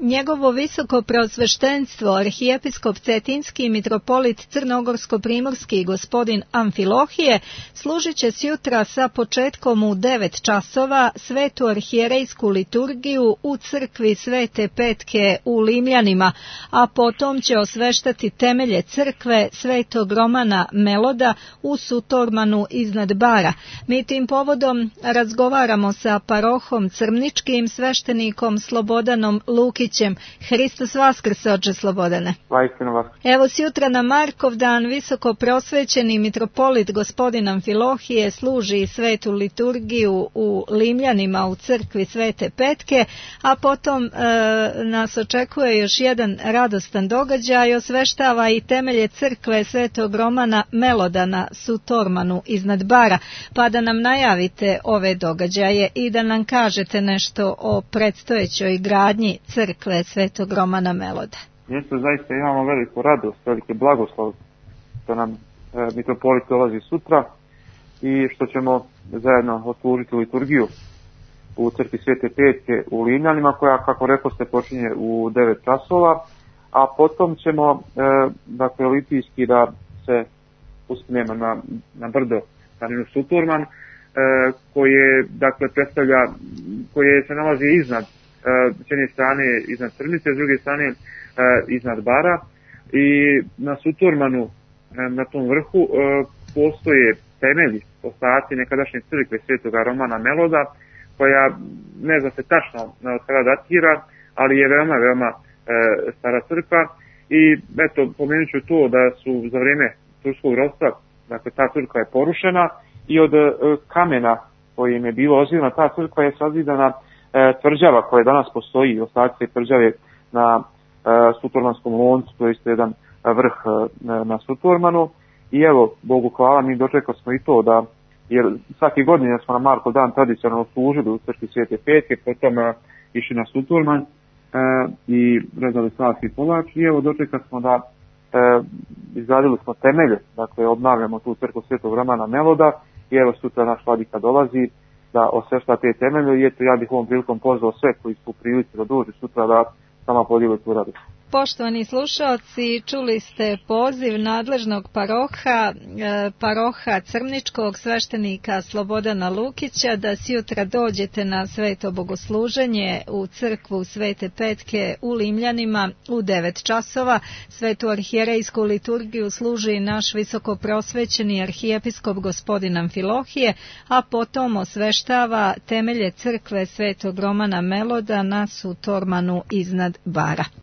Njegovo visoko preosveštenstvo, arhijepiskop Cetinski i mitropolit Crnogorsko-primorski gospodin Amfilohije, služit će sjutra sa početkom u 9 časova svetu arhijerejsku liturgiju u crkvi Svete Petke u Limljanima, a potom će osveštati temelje crkve Svetog Romana Meloda u Sutormanu iznad Bara. Mi tim povodom razgovaramo sa parohom Crmničkim, sveštenikom Slobodanom Lukićem. Hristos Vaskrse, oče Slobodane. Evo, sjutra na Markov dan visoko prosvećeni mitropolit gospodin Amfilohije služi svetu liturgiju u Limljanima u crkvi Svete Petke, a potom nas očekuje još jedan radostan događaj, osveštava i temelje crkve Svetog Romana Meloda na Sutormanu iznad Bara, pa da nam najavite ove događaje i da nam kažete nešto o predstojećoj gradnji crkve Svetog Romana Meloda. Mjesto zaista imamo veliku radost, veliki blagoslov što nam mitropolit dolazi sutra i što ćemo zajedno odslužiti liturgiju u crkvi Svete Petke u Limljanima, koja, kako rekoste, počinje u 9 časova, a potom ćemo olimpijski da se uspnemo na brdo planinu Sutorman, koje se nalazi iznad, s jedne strane iznad Crnice, s druge strane iznad Bara, i na Sutormanu, na tom vrhu, postoje temelji, ostaci nekadašnje crkve Svetoga Romana Meloda, koja ne zna se tačno od kada datira, ali je veoma stara crkva. I eto, pomenut ću to da su za vrijeme turskog ropstva, dakle, ta crkva je porušena i od kamena kojim je bilo ozidana ta crkva je sazidana tvrđava koja danas postoji, ostaci tvrđave na Sutormanskom loncu, to je isto jedan vrh na Sutormanu. I evo, Bogu hvala, mi dočekali smo i to da, jer svaki godine smo na Markov dan tradicionalno služili u crkvi Svete Petke, potom išli na Sutorman i rezali slavski kolač, i evo dočekali smo da izgradili smo temelje, dakle obnavljamo tu crkvu Svetog Romana Meloda, i evo sutra naš vladika dolazi da osvešta te temelje, i eto, ja bih ovom prilikom pozvao sve koji su u prilici da dođu sutra da sama podijeli tu radost. Poštovani slušaoci, čuli ste poziv nadležnog paroha Crmničkog, sveštenika Slobodana Lukića, da sjutra dođete na sveto bogosluženje u crkvu Svete Petke u Limljanima u 9 časova. Svetu arhijerejsku liturgiju služi naš visoko prosvećeni arhijepiskop gospodin Amfilohije, a potom osveštava temelje crkve Svetog Romana Meloda na Sutormanu iznad Bara.